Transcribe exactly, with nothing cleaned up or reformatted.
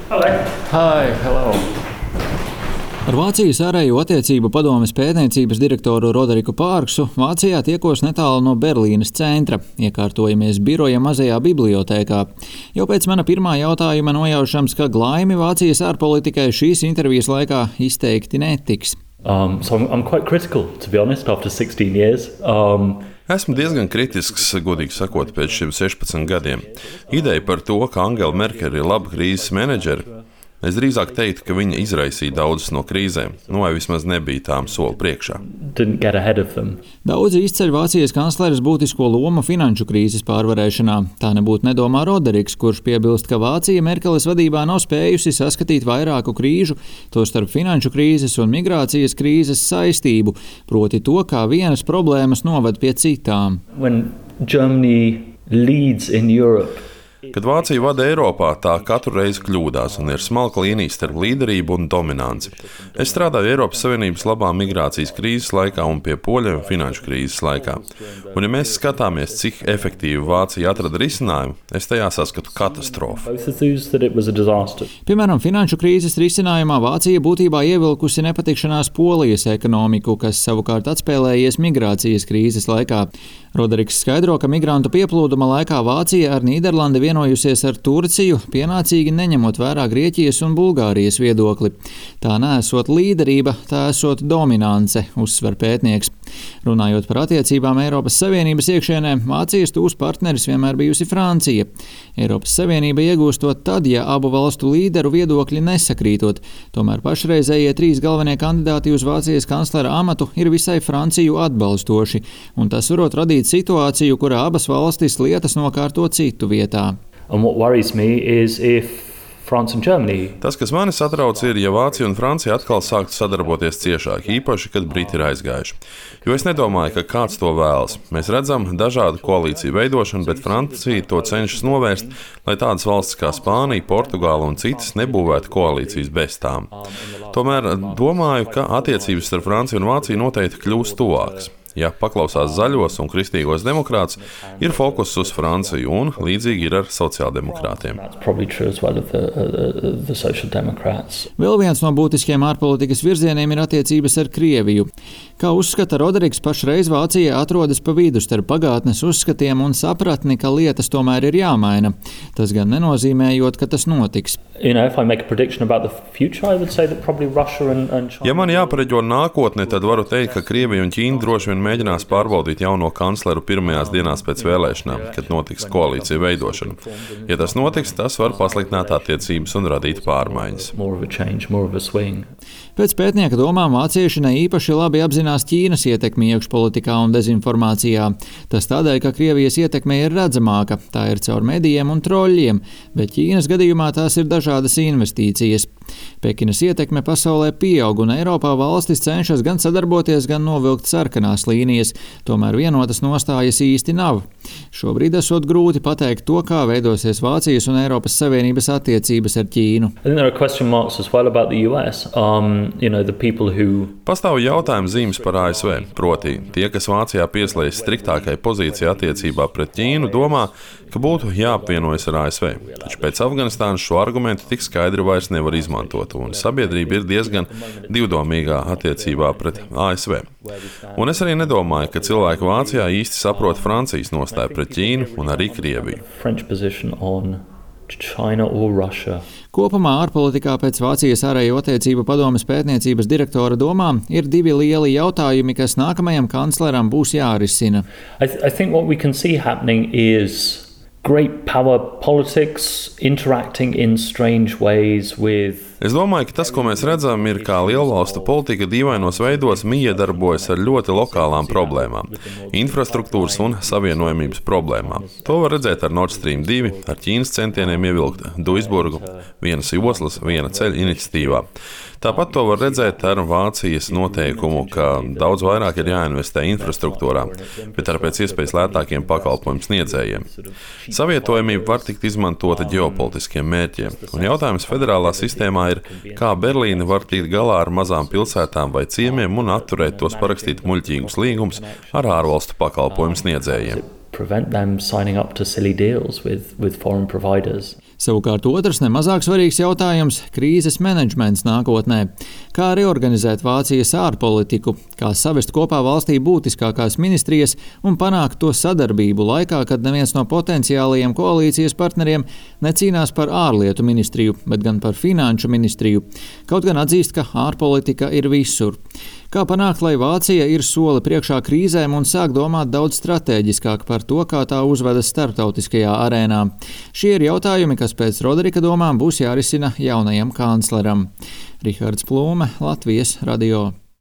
Hello. Hi, hello. Ar Vācijas ārējo attiecību padomes pētniecības direktoru Roderiku Pārksu Vācijā tiekos netālu no Berlīnes centra. Iekārtojamies biroja mazajā bibliotēkā. Jau pēc mana pirmā jautājuma nojaušams, ka glaimi Vācijas ārpolitikai šīs intervijas laikā izteikti netiks. Um, so I'm, I'm quite critical, to be honest, after sixteen years. Um, Esmu diezgan kritisks, godīgi sakot, pēc šiem sešpadsmit gadiem. Ideja par to, ka Angela Merkele ir laba krīzes menedžere, es drīzāk teiktu, ka viņa izraisīja daudzas no krīzēm, nu vai vismaz nebija tām soli priekšā. Daudzi izceļ Vācijas kancleres būtisko lomu finanšu krīzes pārvarēšanā. Tā nebūtu nedomā Roderiks, kurš piebilst, ka Vācija Merkeles vadībā nav spējusi saskatīt vairāku krīžu, tostarp finanšu krīzes un migrācijas krīzes saistību, proti to, kā vienas problēmas noved pie citām. When Germany leads in Europe, Kad Vācija vada Eiropā, tā katru reizi kļūdās un ir smalka līnija starp līderību un dominanci. Es strādāju Eiropas Savienības labā migrācijas krīzes laikā un pie poļiem finanšu krīzes laikā. Un ja mēs skatāmies, cik efektīvi Vācija atrada risinājumu, es tajā saskatu katastrofu. Piemēram, finanšu krīzes risinājumā Vācija būtībā ievilkusi nepatikšanās Polijas ekonomiku, kas savukārt atspēlējies migrācijas krīzes laikā. Roderiks skaidro, ka migrantu pieplūduma laikā Vācija ar Nīderlandi vienojusies ar Turciju, pienācīgi neņemot vērā Grieķijas un Bulgārijas viedokli. Tā neesot līderība, tā esot dominance, uzsver pētnieks. Runājot par attiecībām Eiropas Savienības iekšienē, Vācijas tūs partneris vienmēr bijusi Francija. Eiropas Savienība iegūstot tad, ja abu valstu līderu viedokļi nesakrītot. Tomēr pašreizējie trīs galvenie kandidāti uz Vācijas kanclera amatu ir visai Franciju atbalstoši, un tas varot radīt situāciju, kurā abas valstis lietas nokārto citu vietā. And what worries me is if France and Germany. Tas, kas mani satrauc, ir, ja Vācija un Francija atkal sāktu sadarboties ciešāk, īpaši, kad Briti ir aizgājuši. Jo es nedomāju, ka kāds to vēlas. Mēs redzam dažādu koalīciju veidošanu, bet Francija to cenšas novērst, lai tādas valstis kā Spānija, Portugāla un citas nebūvētu koalīcijas bez tām. Tomēr domāju, ka attiecības starp Franciju un Vāciju noteikti kļūs tuvākas. Ja paklausās zaļos un kristīgos demokrātus, ir fokus uz Franciju un līdzīgi ir ar sociāldemokrātiem. Vēl viens no būtiskiem ārpolitikas virzieniem ir attiecības ar Krieviju. Kā uzskata Roderiks, pašreiz Vācija atrodas pa vidu starp pagātnes uzskatiem un sapratni, ka lietas tomēr ir jāmaina. Tas gan nenozīmējot, ka tas notiks. You know, if I make a prediction about the future, I would say that probably Russia and, and China. Ja man jāpareģo nākotne, tad varu teikt, ka Krievija un Ķīna droši vien mēģinās pārbaudīt jauno kancleru pirmajās dienās pēc vēlēšanām, kad notiks koalīcija veidošana. Ja tas notiks, tas var pasliktināt attiecības un radīt pārmaiņas. Pēc pētnieka domām vācieši ne īpaši labi apzinās Ķīnas ietekmi iekšpolitikā un dezinformācijā. Tas tādēļ, ka Krievijas ietekme ir redzamāka, tā ir caur medijiem un troļļiem, bet Ķīnas gadījumā tās ir dažādas investīcijas. Pekinas ietekme pasaulē pieaug un Eiropā valstis cenšas gan sadarboties, gan novilkt sarkanās līnijas, tomēr vienotas nostājas īsti nav. Šobrīd esot grūti pateikt to, kā veidosies Vācijas un Eiropas Savienības attiecības ar Ķīnu. Pastāv jautājums zīmes par A S V, proti tie, kas Vācijā pieslēdz striktākai pozīcijai attiecībā pret Ķīnu, domā, ka būtu jāapvienojas ar A S V. Taču pēc Afganistānas šo argumentu tik skaidri vairs nevar izmantot, un sabiedrība ir diezgan divdomīgā attiecībā pret A S V. Un es arī nedomāju, ka cilvēki Vācijā īsti saprot Francijas nostāju pret Ķīnu un arī Krieviju. China or Russia. Kopumā ārpolitikā pēc Vācijas ārējo attiecību padomes pētniecības direktora domām ir divi lieli jautājumi, kas nākamajam kancleram būs jārisina. I, th- I think what we can see happening is great power politics interacting in strange ways with. Es domāju, ka tas, ko mēs redzam, ir kā lielvalstu politika dīvainos veidos miedarbojas ar ļoti lokālām problēmām, infrastruktūras un savienojamības problēmām. To var redzēt ar Nord Stream divi, ar Ķīnas centieniem ievilkt Duisburgu vienas joslas, viena ceļa iniciatīvā. Tāpat to var redzēt ar Vācijas noteikumu, ka daudz vairāk ir jāinvestē infrastruktūrā, bet ar pēc iespējas lētākiem pakalpojumu sniedzējiem. Savietojamība var tikt izmantota ģeopolitiskiem mērķiem, un jautājums federālā sistēmā ir, kā Berlīne var tikt galā ar mazām pilsētām vai ciemiem un atturēt tos parakstīt muļķīgus līgumus ar ārvalstu pakalpojumu sniedzējiem. Prevent them signing up to silly deals with, with foreign providers. Savukārt otrs nemazāk svarīgs jautājums – krīzes menedžments nākotnē. Kā reorganizēt Vācijas ārpolitiku, kā savest kopā valstī būtiskākās ministrijas un panākt to sadarbību laikā, kad neviens no potenciālajiem koalīcijas partneriem necīnās par ārlietu ministriju, bet gan par finanšu ministriju. Kaut gan atzīst, ka ārpolitika ir visur. Kā panākt, lai Vācija ir soli priekšā krīzēm un sāk domāt daudz stratēģiskāk par to, kā tā uzvedas starptautiskajā arēnā? Šie ir jautājumi, kas pēc Roderika domām būs jārisina jaunajam kancleram. Rihards Plūme, Latvijas radio.